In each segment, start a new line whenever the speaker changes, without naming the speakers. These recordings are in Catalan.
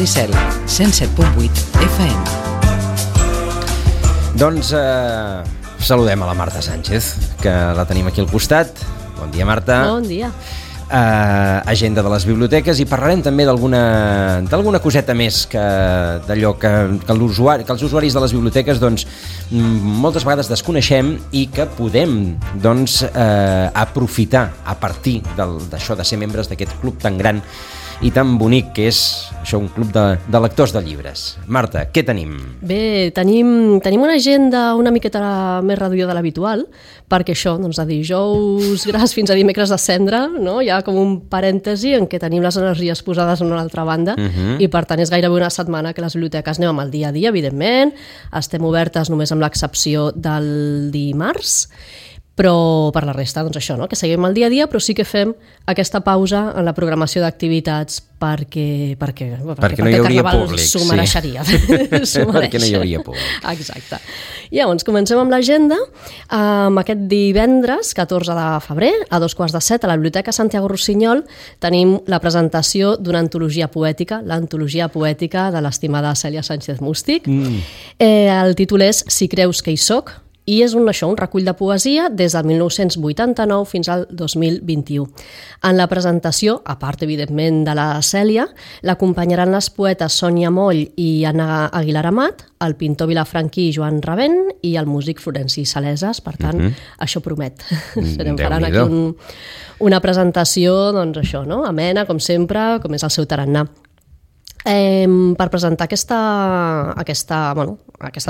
Licel, 107.8 FM.
Doncs saludem a la Marta Sánchez, que la tenim aquí al costat. Bon dia, Marta.
Bon dia.
Agenda de les biblioteques, i parlarem també d'alguna coseta més d'allò que els usuaris de les biblioteques doncs, moltes vegades desconeixem i que podem doncs, aprofitar a partir d'això de ser membres d'aquest club tan gran i tan bonic que és això, un club de lectors de llibres. Marta, què tenim?
Bé, tenim una agenda una miqueta més reduïda de l'habitual, perquè això, doncs, de dijous gras fins a dimecres de cendra, no? Hi ha com un parèntesi en què tenim les energies posades en una altra banda, i per tant és gairebé una setmana que les biblioteques anem amb el dia a dia, evidentment, estem obertes només amb l'excepció del dimarts, però per la resta, doncs això, no? Que seguim el dia a dia, però sí que fem aquesta pausa en la programació d'activitats perquè
no hi hauria públic.
S'ho mereixeria.
Perquè no hi hauria públic.
Exacte. Llavors, comencem amb l'agenda. Aquest divendres, 14 de febrer, a 14:45, a la Biblioteca Santiago Rossinyol, tenim la presentació d'una antologia poètica, l'antologia poètica de l'estimada Cèlia Sánchez Mústic. El títol és Si creus que hi soc, i és un recull de poesia des del 1989 fins al 2021. En la presentació, a part, evidentment, de la Cèlia, l'acompanyaran les poetes Sònia Moll i Anna Aguilar Amat, el pintor vilafranquí Joan Ravent i el músic Florenci Saleses. Per tant, això promet. Faran aquí una presentació, doncs això, no? Amena, com sempre, com és el seu tarannà. Per presentar aquesta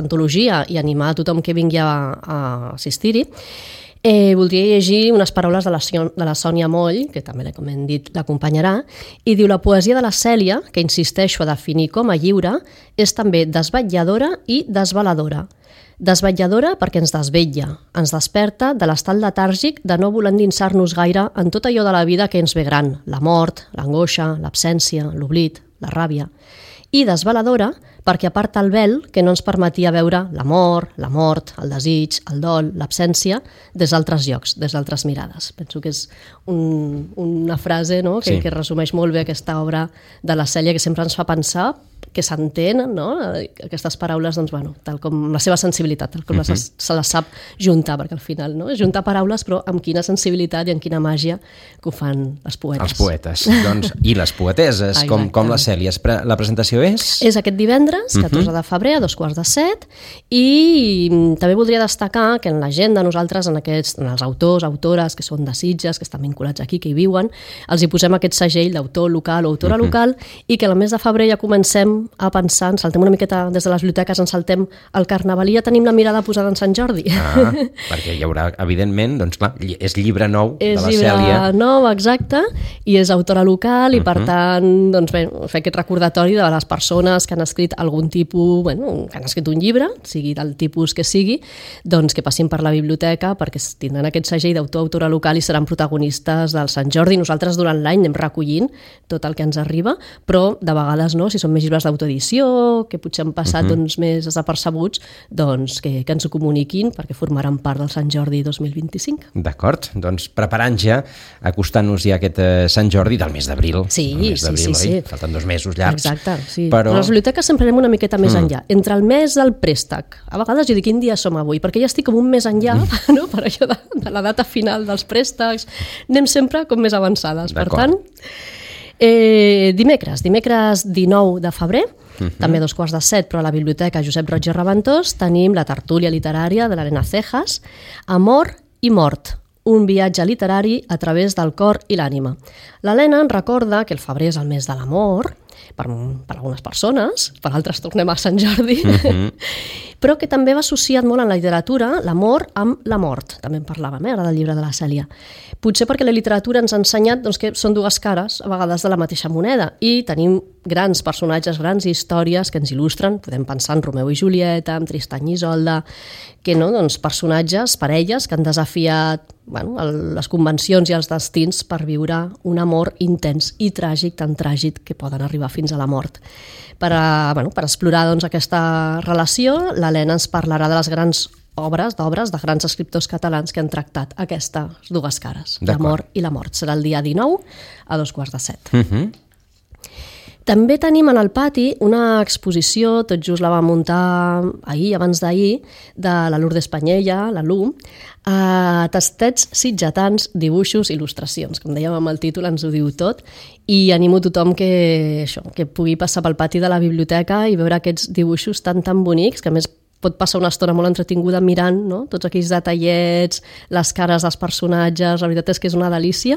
antologia i animar a tothom que vingui a assistir-hi, voldria llegir unes paraules de la Sònia Moll, que també, com hem dit, l'acompanyarà, i diu: la poesia de la Cèlia, que insisteixo a definir com a lliure, és també desvetlladora i desveladora. Desvetlladora perquè ens desvetlla, ens desperta de l'estat letàrgic de no voler endinsar-nos gaire en tot allò de la vida que ens ve gran, la mort, l'angoixa, l'absència, l'oblit, la ràbia. I desveladora perquè aparta el vel que no ens permetia veure l'amor, la mort, el desig, el dol, l'absència, des d'altres llocs, des d'altres mirades. Penso que és una frase, no? que resumeix molt bé aquesta obra de la Cèlia, que sempre ens fa pensar que s'entén, no? Aquestes paraules, doncs, bueno, tal com la seva sensibilitat, tal com se les sap juntar, perquè al final, no? És juntar paraules, però amb quina sensibilitat i amb quina màgia que ho fan els poetes.
Els poetes, doncs, i les poeteses, com la Cèlia. La presentació és?
És aquest divendres, 14 de febrer, a 14:45, i també voldria destacar que en l'agenda nosaltres, en els autors, autores que són de Sitges, que estan vinculats aquí, que hi viuen, els hi posem aquest segell d'autor local o autora local, i que al mes de febrer ja comencem a pensar, ens saltem una miqueta des de les biblioteques, ens saltem al Carnaval i ja tenim la mirada posada en Sant Jordi.
Perquè hi haurà, evidentment, doncs clar, és llibre nou de la Cèlia.
És llibre nou, exacte, i és autora local i per tant, doncs bé, fer aquest recordatori de les persones que han escrit algun tipus, que han escrit un llibre, sigui del tipus que sigui, doncs que passin per la biblioteca perquè tindran aquest segell d'autor-autora local i seran protagonistes del Sant Jordi. Nosaltres durant l'any anem recollint tot el que ens arriba, però de vegades no, si són més llibres d'autoedició, que potser han passat doncs, més desapercebuts, doncs que ens ho comuniquin perquè formaran part del Sant Jordi 2025.
D'acord, doncs preparant ja, acostant-nos ja a aquest Sant Jordi del mes d'abril.
Sí.
Falten 2 mesos llargs.
Exacte, sí. Però les biblioteques sempre anem una miqueta més enllà. Entre el mes del préstec, a vegades jo dic quin dia som avui, perquè ja estic com un mes enllà, no? Per això de la data final dels préstecs, anem sempre com més avançades. Per tant, dimecres 19 de febrer, també a 14:45, però a la Biblioteca Josep Roig i Raventós tenim la tertúlia literària de l'Helena Cejas, Amor i mort, un viatge literari a través del cor i l'ànima. L'Helena ens recorda que el febrer és el mes de l'amor, per algunes persones, per altres tornem a Sant Jordi, però que també va associat molt en la literatura l'amor amb la mort. També en parlàvem, ara del llibre de la Cèlia. Potser perquè la literatura ens ha ensenyat doncs, que són dues cares, a vegades de la mateixa moneda, i tenim grans personatges, grans històries que ens il·lustren. Podem pensar en Romeu i Julieta, en Tristany i Isolda, que no, doncs, personatges, parelles, que han desafiat les convencions i els destins per viure un amor intens i tràgic, tan tràgic que poden arribar fins a la mort. Per explorar doncs, aquesta relació, l'Helena ens parlarà de les grans d'obres de grans escriptors catalans que han tractat aquestes dues cares, l'amor i la mort. Serà el dia 19 a 14:45. També tenim en el pati una exposició, tot just la vam muntar ahir, abans d'ahir, de la Lourdes Panyella, la Lu, tastets sitgetans, dibuixos, il·lustracions. Com dèiem amb el títol ens ho diu tot, i animo tothom que pugui passar pel pati de la biblioteca i veure aquests dibuixos tan bonics, que a més pot passar una estona molt entretinguda mirant, no? Tots aquells detallets, les cares dels personatges, la veritat és que és una delícia.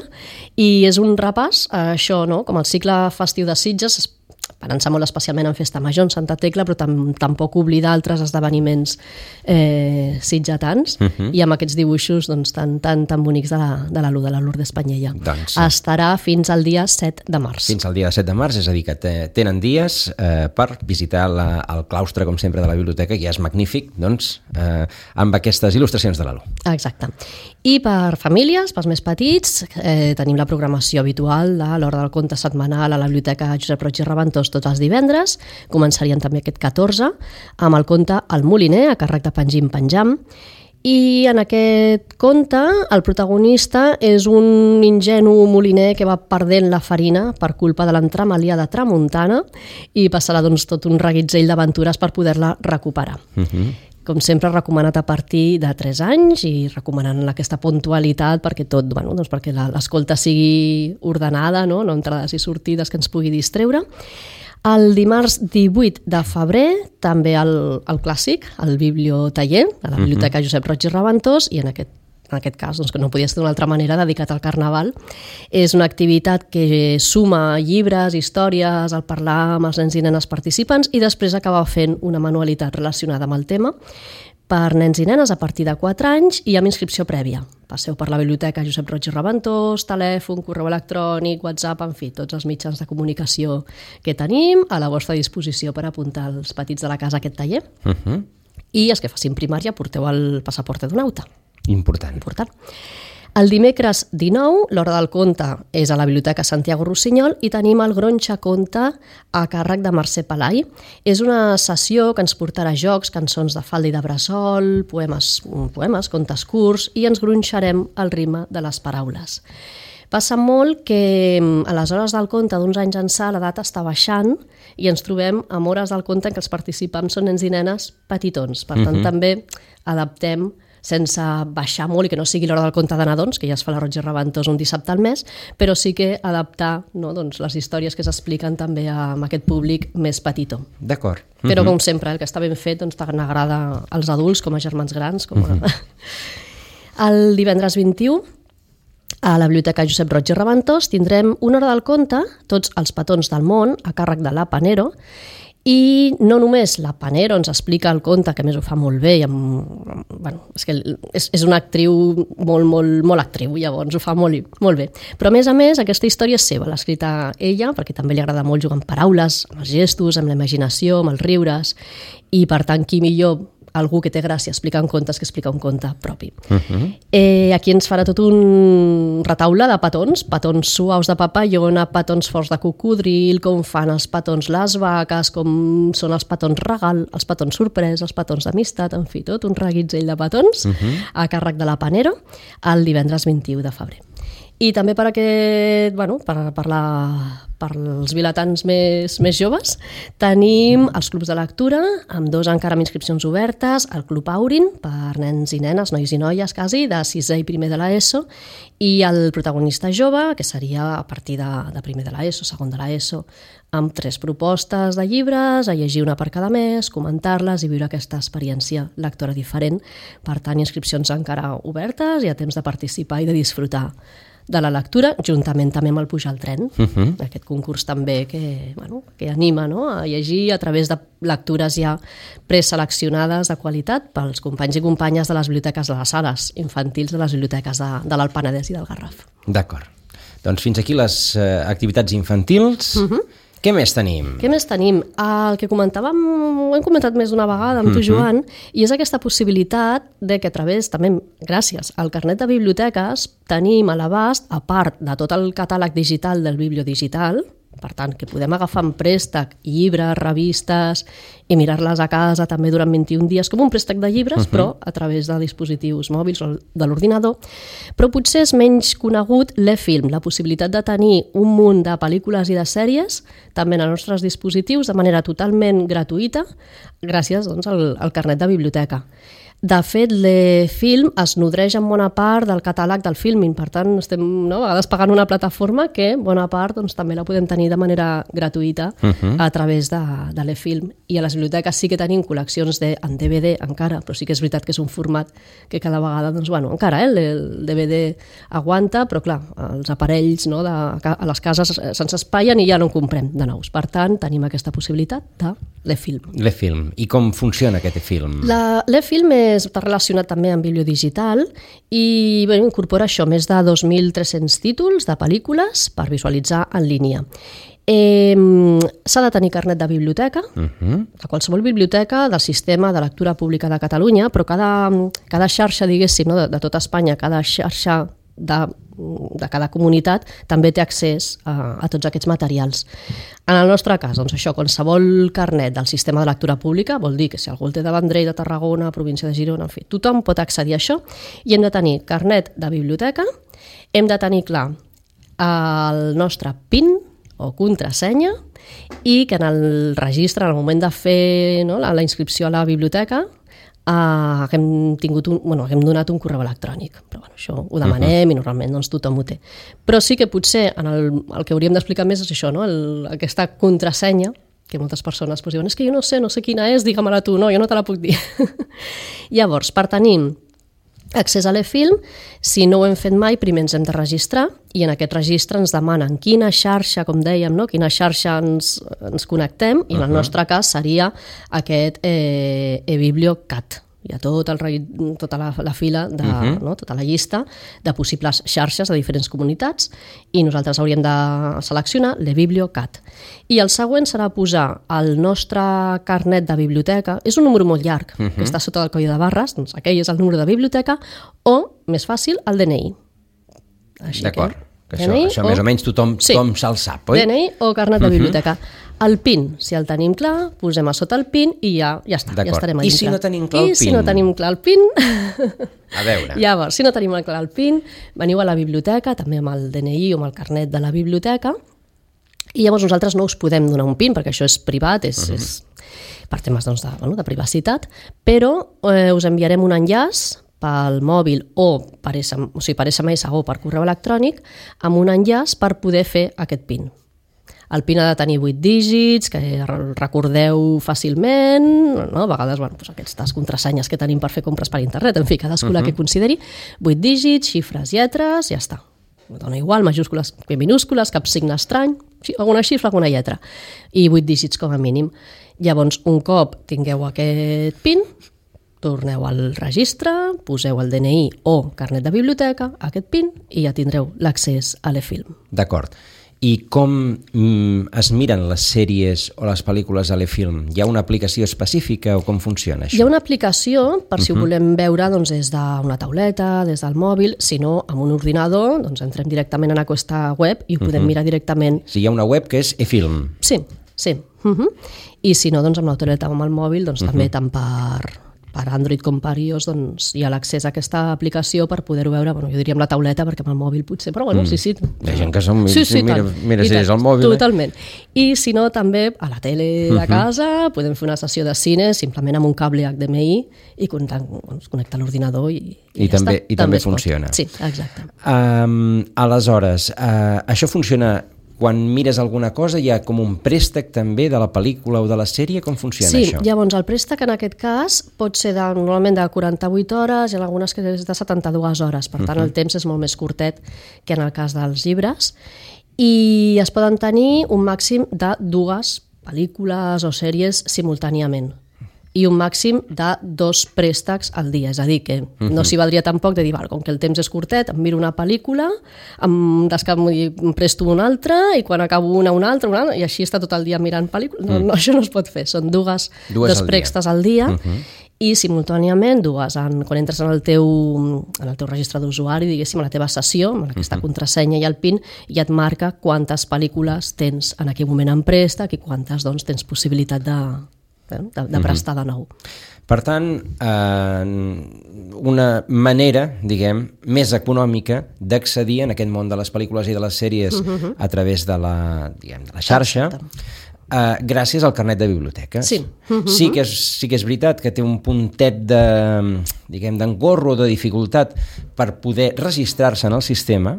I és un repàs a això, no? Com el cicle festiu de Sitges, pensar molt especialment en Festa Major, en Santa Tecla, però tampoc oblidar altres esdeveniments sitgetans, i amb aquests dibuixos doncs, tan bonics de la Lourdes Panyella.
Doncs,
estarà fins al dia 7 de març.
Fins al dia 7 de març, és a dir, que tenen dies per visitar el claustre, com sempre, de la biblioteca, que ja és magnífic, doncs, amb aquestes il·lustracions de la Lu.
Exacte. I per famílies, pels més petits, tenim la programació habitual de l'Hora del Conte setmanal a la Biblioteca Josep Roig i Reventós tots els divendres. Començarien també aquest 14 amb el conte El Moliner, a càrrec de Pengim Penjam. I en aquest conte el protagonista és un ingenu moliner que va perdent la farina per culpa de l'entramalia de tramuntana i passarà doncs, tot un reguitzell d'aventures per poder-la recuperar. Com sempre, recomanat a partir de 3 anys i recomanant aquesta puntualitat perquè perquè l'escolta sigui ordenada, no entrades i sortides que ens pugui distreure. El dimarts 18 de febrer, també el clàssic, el bibliotaller, a la Biblioteca Josep Roig i Reventós, i en aquest cas, doncs, que no podia ser d'una altra manera, dedicat al Carnaval. És una activitat que suma llibres, històries, al parlar amb els nens i nenes participants, i després acaba fent una manualitat relacionada amb el tema per nens i nenes a partir de 4 anys i amb inscripció prèvia. Passeu per la Biblioteca Josep Roig i Reventós, telèfon, correu electrònic, WhatsApp, en fi, tots els mitjans de comunicació que tenim a la vostra disposició per apuntar els petits de la casa a aquest taller. I els que facin primària, porteu el passaport d'un auta.
Important.
El dimecres 19, l'Hora del Conte és a la Biblioteca Santiago Rossinyol i tenim el Gronxa Conte a càrrec de Mercè Pelai. És una sessió que ens portarà jocs, cançons de falda i de bressol, poemes, contes curts, i ens gronxarem al ritme de les paraules. Passa molt que a les hores del conte d'uns anys ençà l'edat està baixant i ens trobem amb hores del conte en què els participants són nens i nenes petitons. Per tant, també adaptem sense baixar molt i que no sigui l'Hora del Conte de nadons, que ja es fa a la Roig i Reventós un dissabte al mes, però sí que adaptar les històries que s'expliquen també a aquest públic més petitó.
D'acord.
Però com sempre, el que està ben fet tant agrada als adults com a germans grans. El divendres 21, a la Biblioteca Josep Roig i Reventós, tindrem una hora del conte, tots els petons del món, a càrrec de la Panero. I no només la Panero ens explica el conte, que a més ho fa molt bé, és que és una actriu molt actriu, llavors ho fa molt bé. Però a més, aquesta història és seva, l'ha escrita ella, perquè també li agrada molt jugar amb paraules, amb els gestos, amb la imaginació, amb els riures, i per tant, qui millor algú que té gràcia explicant contes que explica un conte propi. Aquí ens farà tot un retaule de petons suaus de papallona, petons forts de cocodril, com fan els petons les vaques, com són els petons regal, els petons sorprès, els petons d'amistat, en fi, tot un reguitzell de petons a càrrec de la Panero el divendres 21 de febrer. I també per als vilatans més joves, tenim els clubs de lectura, amb 2 encara amb inscripcions obertes, el Club Aurin, per nens i nenes, nois i noies quasi, de 6è i primer de l'ESO, i el protagonista jove, que seria a partir de primer de l'ESO, segon de l'ESO, amb 3 propostes de llibres, a llegir una per cada mes, comentar-les i viure aquesta experiència lectora diferent. Per tant, inscripcions encara obertes, hi ha temps de participar i de disfrutar de la lectura, juntament també amb el Pujar al tren, aquest concurs també que anima a llegir a través de lectures ja preseleccionades de qualitat pels companys i companyes de les biblioteques de les sales infantils de les biblioteques de l'Alt Penedès i del Garraf.
D'acord. Doncs fins aquí les activitats infantils. Què més tenim? El que comentàvem, ho hem comentat més d'una vegada amb tu, Joan, i és aquesta possibilitat de que a través, també gràcies al carnet de biblioteques, tenim a l'abast, a part de tot el catàleg digital del bibliodigital,
Per tant, que podem agafar en préstec llibres, revistes i mirar-les a casa també durant 21 dies, com un préstec de llibres, però a través de dispositius mòbils o de l'ordinador. Però potser és menys conegut l'e-film, la possibilitat de tenir un munt de pel·lícules i de sèries també en els nostres dispositius de manera totalment gratuïta gràcies doncs, al carnet de biblioteca. De fet, l'e-film es nodreix en bona part del catàleg del Filmin, per tant, estem a vegades pagant una plataforma que bona part doncs, també la podem tenir de manera gratuïta a través de l'e-film. I a les biblioteques sí que tenim col·leccions en DVD encara, però sí que és veritat que és un format que cada vegada, doncs, bueno, encara el DVD aguanta, però clar, els aparells a les cases se'ns espaien i ja no en comprem de nous. Per tant, tenim aquesta possibilitat de l'e-film.
L'e-film. I com funciona aquest e-film?
L'e-film està relacionat també amb bibliodigital i incorpora això, més de 2.300 títols de pel·lícules per visualitzar en línia. S'ha de tenir carnet de biblioteca, a qualsevol biblioteca del sistema de lectura pública de Catalunya, però cada xarxa, diguéssim, de tota Espanya, cada xarxa de cada comunitat també té accés a tots aquests materials. En el nostre cas, doncs això, qualsevol carnet del sistema de lectura pública vol dir que si algú el té de Vendrell, de Tarragona, província de Girona, en fi, tothom pot accedir a això i hem de tenir carnet de biblioteca, hem de tenir clar el nostre PIN o contrasenya i que en el registre, en el moment de fer la inscripció a la biblioteca, haguem donat un correu electrònic, però això ho demanem i normalment doncs, tothom ho té. Però sí que potser el que hauríem d'explicar més és això, aquesta contrasenya, que moltes persones diuen, és que jo no sé quina és, digue-me-la tu, no, jo no te la puc dir. Llavors, per tenir accés a l'e-film, si no ho hem fet mai, primer ens hem de registrar i en aquest registre ens demanen quina xarxa, com dèiem, quina xarxa ens connectem i en el nostre cas seria aquest eBiblioCat. Hi ha tota la fila, tota la llista de possibles xarxes de diferents comunitats i nosaltres hauríem de seleccionar l'eBiblioCat. I el següent serà posar el nostre carnet de biblioteca, és un número molt llarg, que està sota del coll de barres, doncs aquell és el número de biblioteca, o, més fàcil, el DNI.
D'acord, que això més o menys tothom se'l sap, oi?
DNI o carnet de biblioteca. El PIN, si el tenim clar, posem a sota el PIN i ja està, ja estarem a dintre.
I si no tenim clar el PIN?
I si no tenim clar el PIN...
A veure.
Llavors, si no tenim clar el PIN, veniu a la biblioteca, també amb el DNI o amb el carnet de la biblioteca, i llavors nosaltres no us podem donar un PIN, perquè això és privat, és per temes de privacitat, però us enviarem un enllaç pel mòbil o per SMS o per correu electrònic amb un enllaç per poder fer aquest PIN. El PIN ha de tenir 8 dígits, que recordeu fàcilment, a vegades aquestes contrasenyes que tenim per fer compres per internet, en fi, cadascú la que consideri, 8 dígits, xifres, lletres, ja està. Dona igual, majúscules, minúscules, cap signe estrany, alguna xifra, alguna lletra, i 8 dígits com a mínim. Llavors, un cop tingueu aquest PIN, torneu al registre, poseu el DNI o carnet de biblioteca, aquest PIN, i ja tindreu l'accés a l'e-film.
D'acord. I com es miren les sèries o les pel·lícules a l'e-film? Hi ha una aplicació específica o com funciona això?
Hi ha una aplicació, per si ho volem veure des d'una tauleta, des del mòbil, si no, amb un ordinador, doncs entrem directament en aquesta web i ho podem mirar directament.
Sí, hi ha una web que és e-film.
Sí. I si no, doncs amb la tauleta o amb el mòbil, doncs també tant per Android com per iOS hi ha l'accés a aquesta aplicació per poder-ho veure, jo diria amb la tauleta perquè amb el mòbil potser, però sí.
Hi ha gent que mira si és el mòbil.
Totalment. I si no, també a la tele de casa podem fer una sessió de cine simplement amb un cable HDMI i connectar l'ordinador i
també funciona.
Sí, exacte.
Aleshores, això funciona... Quan mires alguna cosa hi ha com un préstec també de la pel·lícula o de la sèrie? Com funciona això?
Sí, llavors el préstec en aquest cas pot ser normalment de 48 hores i en algunes que és de 72 hores, per tant el temps és molt més curtet que en el cas dels llibres i es poden tenir un màxim de 2 pel·lícules o sèries simultàniament i un màxim de 2 préstecs al dia, és a dir, que no s'hi valdria tampoc de dir, com que el temps és curtet, em miro una pel·lícula, em presto una altra i quan acabo una altra, i així està tot el dia mirant pel·lícules. No, això no es pot fer, són 2 préstecs al dia i simultàniament quan entres en el teu registre d'usuari, diguéssim, a la teva sessió, amb aquesta contrasenya i el PIN, ja et marca quantes pel·lícules tens en aquell moment en préstec i quantes doncs, tens possibilitat de prestar de nou.
Per tant, una manera, diguem, més econòmica d'accedir en aquest món de les pel·lícules i de les sèries a través de la xarxa, gràcies al carnet de biblioteca.
Sí.
Sí que és veritat que té un puntet d'engorro o de dificultat per poder registrar-se en el sistema,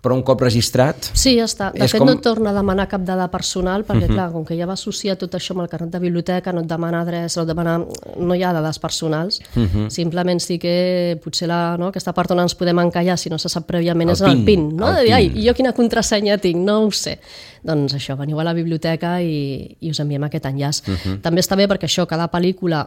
però un cop registrat...
Sí, ja està. De fet, no et torna a demanar cap dada personal, perquè, clar, com que ja va associar tot això amb el carnet de biblioteca, no et demana adreça, no hi ha dades personals. Simplement sí que potser aquesta part on ens podem encallar, si no se sap prèviament, és el PIN. No? De dir, ai, jo quina contrasenya tinc? No ho sé. Doncs això, veniu a la biblioteca i us enviem aquest enllaç. També està bé perquè això, cada pel·lícula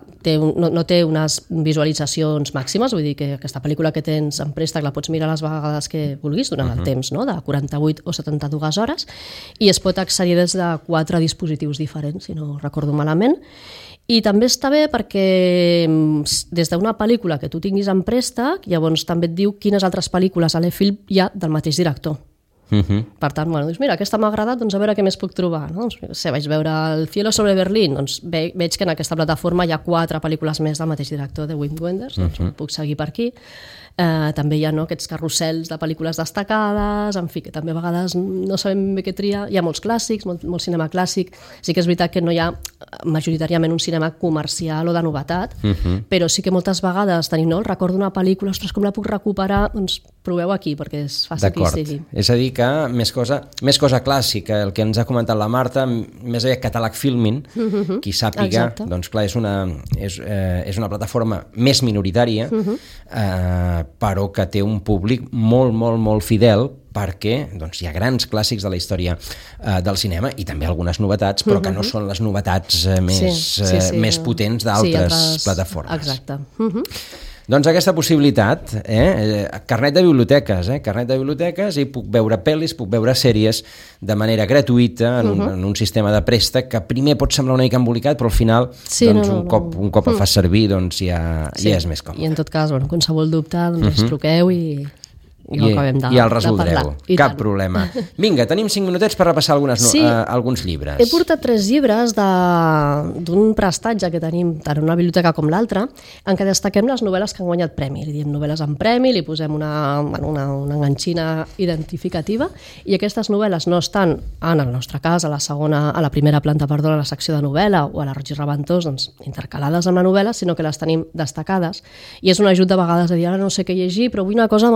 no té unes visualitzacions màximes, vull dir que aquesta pel·lícula que tens en préstec la pots mirar les vegades que vulguis durant el temps, no? De 48 o 72 hores, i es pot accedir des de 4 dispositius diferents, si no recordo malament. I també està bé perquè des d'una pel·lícula que tu tinguis en préstec, llavors també et diu quines altres pel·lícules a l'eFilm hi ha del mateix director. Per tant, dius, mira, aquesta m'ha agradat, doncs a veure què més puc trobar. Vaig veure El cielo sobre Berlín, doncs veig que en aquesta plataforma hi ha 4 pel·lícules més del mateix director, de Wim Wenders, doncs puc seguir per aquí. També hi ha aquests carrusels de pel·lícules destacades, en fi, que també a vegades no sabem bé què triar. Hi ha molts clàssics, molt cinema clàssic. Sí que és veritat que no hi ha majoritàriament un cinema comercial o de novetat, però sí que moltes vegades tenim el record d'una pel·lícula, ostres, com la puc recuperar? Doncs proveu aquí, perquè és fàcil que hi sigui.
És a dir que més cosa clàssica, el que ens ha comentat la Marta, més aviat catàleg Filmin, qui sàpiga, doncs clar, és una plataforma més minoritària, però que té un públic molt, molt, molt fidel, perquè hi ha grans clàssics de la història del cinema i també algunes novetats, però que no són les novetats més potents d'altres plataformes.
Exacte.
Doncs aquesta possibilitat, carnet de biblioteques, i puc veure pel·lis, puc veure sèries de manera gratuïta en un sistema de préstec que primer pot semblar una mica embolicat, però al final un cop el fas servir ja és més còmode.
I en tot cas, qualsevol dubte, ens truqueu i
el resoldreu. Cap problema. Vinga, tenim 5 minutets per repassar alguns llibres.
He portat 3 llibres d'un prestatge que tenim tant en una biblioteca com l'altra, en què destaquem les novel·les que han guanyat premi. Li diem novel·les amb premi, li posem una enganxina identificativa, i aquestes novel·les no estan, en el nostre cas, a la primera planta, a la secció de novel·la o a la Roig i Reventós, intercalades amb la novel·la, sinó que les tenim destacades. I és un ajut de vegades a dir, ara no sé què llegir, però vull una cosa,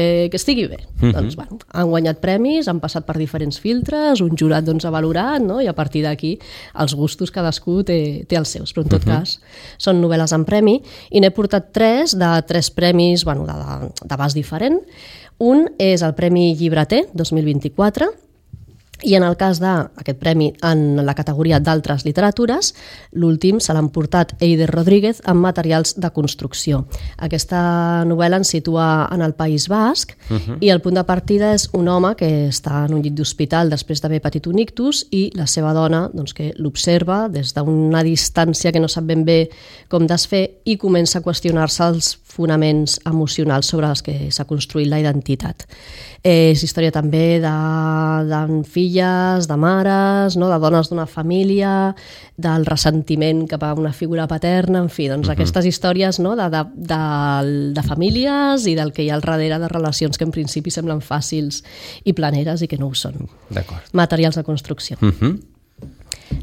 que estigui bé. Doncs, han guanyat premis, han passat per diferents filtres, un jurat ha valorat, i a partir d'aquí els gustos cadascú té els seus, però en tot cas són novel·les amb premi, i n'he portat 3 de 3 premis d'abast diferent. Un és el Premi Llibreter 2024, i en el cas d'aquest premi en la categoria d'altres literatures, l'últim se l'han portat Eider Rodríguez amb Materials de construcció. Aquesta novel·la ens situa en el País Basc, i el punt de partida és un home que està en un llit d'hospital després d'haver patit un ictus, i la seva dona que l'observa des d'una distància que no sap ben bé com desfer, i comença a qüestionar-se els fonaments emocionals sobre els que s'ha construït la identitat. És història també de filles, de mares, de dones d'una família, del ressentiment cap a una figura paterna, en fi, aquestes històries de famílies i del que hi ha al darrere de relacions que en principi semblen fàcils i planeres i que no ho són. Materials de construcció.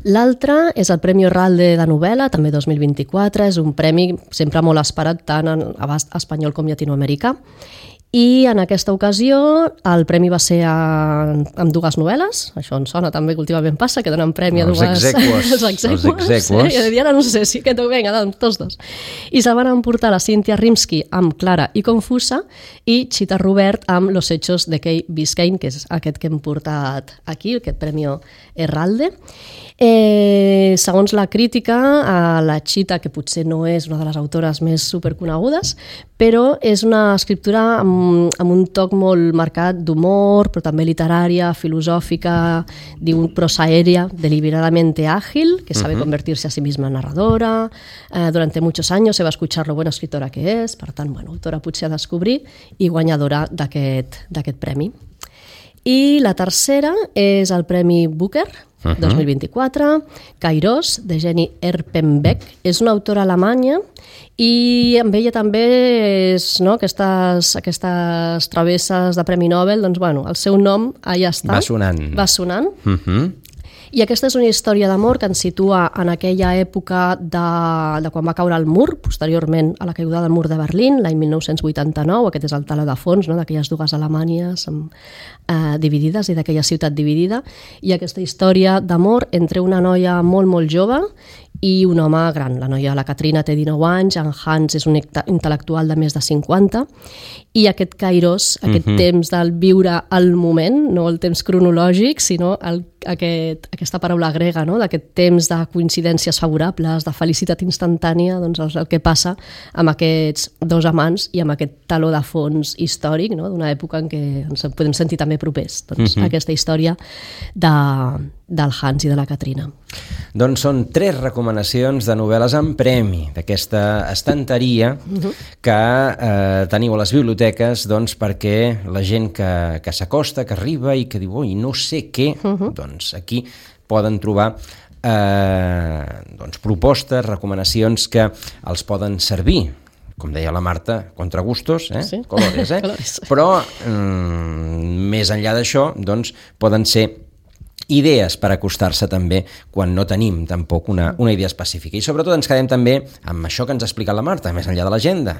L'altre és el Premi Orralde de novel·la, també 2024, és un premi sempre molt esperat tant en abast espanyol com llatinoamericà. I en aquesta ocasió el premi va ser amb 2 novel·les, això ens sona també que últimament passa, que donen premi a 2...
Els exequos.
I ara no sé si aquest ho venga, tots 2. I se'l van emportar la Cynthia Rimsky amb Clara i Confusa, i Chita Robert amb Los hechos de Kay Biscayne, que és aquest que hem portat aquí, aquest Premi Herralde. Segons la crítica, la Chita, que potser no és una de les autores més superconegudes, però és una escriptura amb un toc molt marcat d'humor, però també literària, filosòfica, diu prosa aèria, deliberadamente ágil, que sabe convertirse a sí misma en narradora. Durante muchos años se va a escuchar lo buena escritora que és, per tant, autora potser a descobrir i guanyadora d'aquest premi. I la tercera és el Premi Booker, 2024, Kairos, de Jenny Erpenbeck. És una autora alemanya i amb ella també és, aquestes travesses de Premi Nobel, doncs, el seu nom allà està. Va sonant. I aquesta és una història d'amor que ens situa en aquella època de quan va caure el mur, posteriorment a la caiguda del mur de Berlín, l'any 1989. Aquest és el teló de fons, d'aquelles dues Alemanyes dividides i d'aquella ciutat dividida. I aquesta història d'amor entre una noia molt, molt jove i un home gran. La noia, la Katrina, té 19 anys, en Hans és un intel·lectual de més de 50, i aquest kairos, aquest temps del viure al moment, no el temps cronològic, sinó aquesta paraula grega, d'aquest temps de coincidències favorables, de felicitat instantània, doncs és el que passa amb aquests dos amants i amb aquest taló de fons històric, d'una època en què ens podem sentir també propers. Doncs aquesta història del Hans i de la Katrina.
Doncs són 3 recomanacions de novel·les amb premi d'aquesta estanteria que teniu a les biblioteques, doncs, perquè la gent que s'acosta, que arriba i que diu oi, no sé què, doncs aquí poden trobar propostes, recomanacions que els poden servir, com deia la Marta, contra gustos, colores,
Colores.
Però més enllà d'això, doncs, poden ser idees per acostar-se també quan no tenim tampoc una idea específica. I sobretot ens quedem també amb això que ens ha explicat la Marta, més enllà de l'agenda,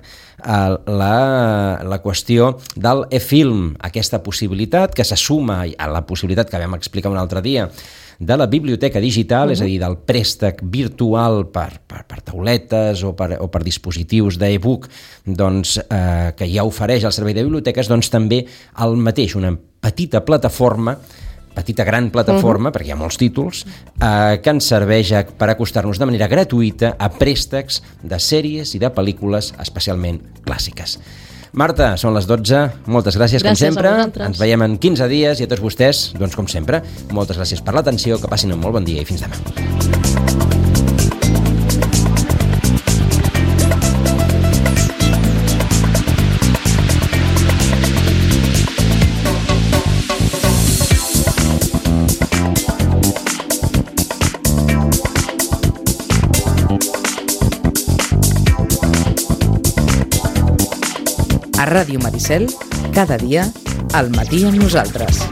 la qüestió del e-film, aquesta possibilitat que se suma a la possibilitat que vam explicar un altre dia de la biblioteca digital, és a dir, del préstec virtual per tauletes o per dispositius d'e-book, doncs, que ja ofereix el servei de biblioteques, doncs també el mateix, una petita gran plataforma, perquè hi ha molts títols, que ens serveix per acostar-nos de manera gratuïta a préstecs de sèries i de pel·lícules especialment clàssiques. Marta, són les 12, moltes gràcies com sempre. Ens veiem en 15 dies i a tots vostès, doncs com sempre, moltes gràcies per l'atenció, que passin un molt bon dia i fins demà.
A Ràdio Maricel, cada dia, al matí amb nosaltres.